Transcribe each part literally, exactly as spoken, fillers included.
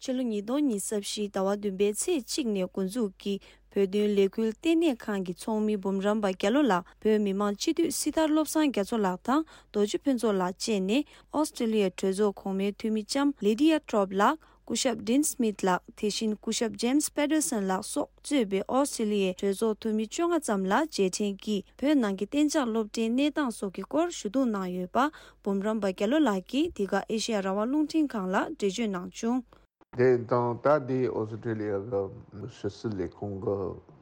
ཕྱི་ལོ་ཉིས་སྟོང་ཉི་ཤུ་རྩ་བཞི་ཟླ་བ་བདུན་པའི་ཚེས་གཅིག་ནས་འགོ་འཛུགས་ཀྱིས་བོད་དོན་ལས་འགུལ་ལྟེ་གནས་ཁང་གི་ཚོགས་མི་འབུམ་རམས་པ་རྒྱ་ལོ་ལགས་བོད་མི་མང་སྤྱི་འཐུས་སྲི་ཐར་བློ་བཟང་རྒྱ་མཚོ་ལགས་དང་རྡོ་རྗེ་ཕུན་ཚོགས་ལགས་བཅས་ནས་ཨོ་སི་ཀྲི་ལི་ཡའི་གྲོས་ཚོགས་གོང་མའི་འཐུས་མི་ལྕམ་ལི་ཌི་ཡ་ཊོབ་ལགས། སྐུ་ཞབས་ཌིན་སྨིཐ་ལགས། དེ་བཞིན་སྐུ་ཞབས་ཇེམ་སི་པེ་ཏར་སན་ལགས་སོགས་གཙོས་པའི་ཨོ་སི་ཀྲི་ལི་ཡའི་གྲོས་ཚོགས་འཐུས་མི་བཅོ་ལྔ་ཙམ་ལ་རྗེས་དྲན་གྱིས་བོད་ནང་གི་གཏན་འཇགས་སློབ་གྲྭའི་གནས་སྟངས་སོགས་ཀྱི་སྐོར་ཞུ་གཏུག་གནང་ཡོད་པ། འབུམ་རམས་པ་རྒྱ་ལོ་ལགས་ཀྱིས་འདི་ག་ཨེ་ཤེ་ཡ་རང་དབང་རླུང་འཕྲིན་ཁང་ལ་འགྲེལ་བརྗོད་གནང་བྱུང་། དེ་དང་ད་འདི་ཨོ་སི་ཀྲི་ལི་ཡ་གི་ཕྱི་སྲིད་ལས་ཁུངས་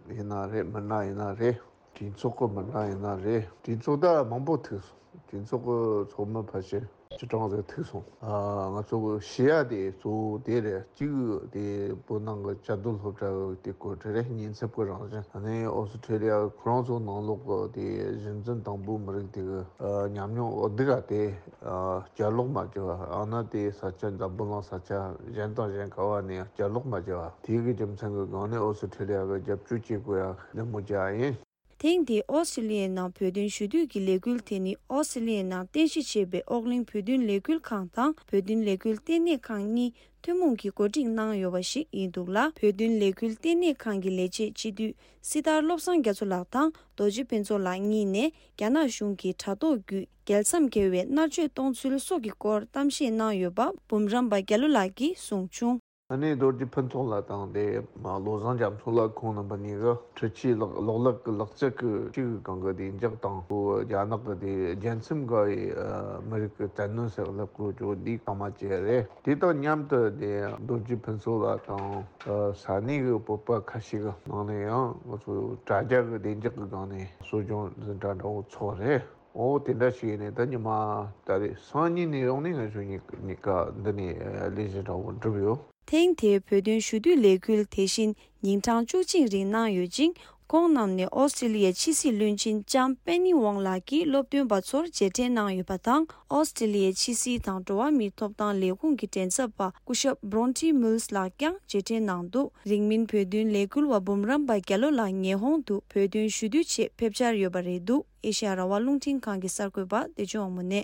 གི་ཡིན་ན་རེད། མི་སྣ་ཡིན་ན་རེད། གྲོས་ཚོགས་ཀྱི་མི་སྣ་ཡིན་ན་རེད། གྲོས་ཚོགས་ད་མང་པོ་ཐུག་སོང་། གྲོས་ཚོགས་ཀྱི་ཚོགས་མི་ཕལ་ཆེར་སྤྱི་གྲངས་ཟིག་ཐུག་སོང་། ཨ། ང་ཚོ་གི་ཞུ་ཡ་དེ་གཙོ་བོ་དེ་རེད། གཅིག་དེ་བོད་ནང་གི་བཅའ་སྡོད་སློབ་གྲྭ་གི་དེ་སྐོར་དེ་རེད། ཉེན་ཚབས་ཀྱི་རང་བཞིན། ཨ་ནི་ཨོ་སི་ཀྲི་ལི་ཡ་ཁོ་རང་ཚོ་ནང་ལོགས་གི་དེ་གཞི་འཛིན་དང་པོ་མི་རིགས་དེ་གི་ཨ་ཉམས་མྱོང་འོ་དེ་ག་དེ་ཨ་བསྐྱར་ལོག་མ་བྱས་པ། ཨ་ན་དེ་ས་ཆ་འཛམ་བུ་གླིང་ས་ཆ་གཞན་དང་གཞན་ག་བ་ནས་བསྐྱར་ལོག་མ་བྱས་པ། དེ་གི་རྒྱུ་མཚན་གྱི་སྒང་ནས་ཨོ་སི་ཀྲི་ལི་ཡ་གི་རྒྱབ་སྐྱོར་བྱེད་དགོས་ཡ་འདི་མོ་བྱས་ཡིན། ཐེངས་འདིའི་ཨོ་སི་ཀྲི་ལི་ཡའི་ནང་བོད་དོན་ཞུ་གཏུག་གི་ལས་འགུལ་དེ་ནི་ཨོ་སི་ཀྲི་ལི་ཡའི་ནང་རྟེན་གཞི་བྱས་པའི་ཨོ་གླིང་བོད་དོན་ལས་འགུལ་ཁང་དང་བོད་དོན་ལས་འགུལ་ལྟེ་གནས་ཁང་གཉིས་ཐུན་མོང་གིས་གོ་སྒྲིག་གནང་ཡོད་པ་ཞིག་ཡིན་འདུག་ལ། བོད་དོན་ལས་འགུལ་ལྟེ་གནས་ཁང་གི་ལས་བྱེད་སྤྱི་འཐུས་སྲི་ཐར་བློ་བཟང་རྒྱ་མཚོ་ལགས་དང་རྡོ་རྗེ་ཕུན་ཚོགས་ལགས་གཉིས་ནས་རྒྱ་ནག་གཞུང་གིས་དྲ་ཐོག་བརྒྱུད་རྒྱལ་མཚམས་བརྒལ་བའི་མནར་གཅོད་གཏོང་ཚུལ་སོགས་ཀྱི་སྐོར་གཏམ་བཤད་གནང་ཡོད་པ་འབུམ་རམས་པ་རྒྱ་ལོ་ལགས་ཀྱིས་གསུངས་བྱུང་། ཨ་ནི་རྡོ་རྗེ་ཕུན་ཚོགས་ལགས་དང་དེ་བློ་བཟང་རྒྱ་མཚོ་ལགས་ཁོང་རྣམ་པ་གཉིས་ཀྱིས་འཕྲུལ་ཆས་ལག་གློག་ཀླད་ཀྱི་ལག་རྩལ་གྱི་ཅིག་གང་གི་བདེ་འཇགས་དང་། ཁོ་རྒྱ་ནག་གི་དེ་རྒྱལ་མཚམས་བརྒལ་བའི་ཨ་མི་རིགས་ཀྱི་བཙན་གནོན་ཟེར་ལབ་དགོས་ཀྱི་འདི་གང་མ་བྱས་རེད། དེ་དང་མཉམ་དུ་དེ་རྡོ་རྗེ་ཕུན་ཚོགས་ལགས་དང་ཨ་ས་གནས་ཀྱི་བོད་པ་ཁ་ཤས་ཀྱི་ནང་ནས་ཡང་ང་ཚོ་དྲ་རྒྱ་གི་བདེ་འཇགས་ཀྱི་སྒང་ནས་གསོ་སྦྱོང་འཛིན་གྲྭ་འདྲ་བོ་ཚོགས་རེད། འོ་དེ་འདྲ་ཞིག་ཡིན་ནས་ད་ཉི་མ་ད་རེས་སང་ཉིན་ནས་ཡོང་ནས་ང་ཚོ་གཉིས་གཉིས་ཀ་འདི་ནས་ལས་གཞི་འདྲ་བོ་འགྲུབ་ཡོད། ཐེངས་དེའི་བོད་དོན་ཞུ་གཏུག་ལས་འགུལ་དེ་བཞིན་ཉིན་གྲངས་བཅུ་གཅིག་རིང་གནང་ཡོད་ཅིང་། ཁོང་རྣམས་ནས་ཨོ་སི་ཀྲི་ལི་ཡའི་ཕྱི་སྲིད་བློན་ཆེན་ལྕམ་པེ་ནི་ཝང་ལགས་ཀྱིས་སློབ་སྟོན་པ་ཚོར་རྗེས་དྲན་གནང་ཡོད་པ་དང་། ཨོ་སི་ཀྲི་ལི་ཡའི་ཕྱི་སྲིད་དང་འགྲོ་བ་མིའི་ཐོབ་ཐང་ལས་ཁུངས་ཀྱི་མགྲིན་ཚབ་པ་སྐུ་ཞབས་བྷྲོན་ཊི་མུལ་ལགས་ཀྱང་རྗེས་དྲན་གནང་འདུག་རིང་མིན་བོད་དོན་ལས་འགུལ་བ་འབུམ་རམས་པ་རྒྱ་ལོ་ལགས་ཉི་ཧོང་དུ་བོད་དོན་ཞུ་གཏུག་ཆེད་ཕེབས་འཆར་ཡོད་པ་རེད་འདུག་ཨེ་ཤ་ཡ་རང་དབང་རླུང་འཕྲིན་ཁང་གི་གསར་འགོད་པ་བདེ་ཆེན་དབང་མོ་ནས།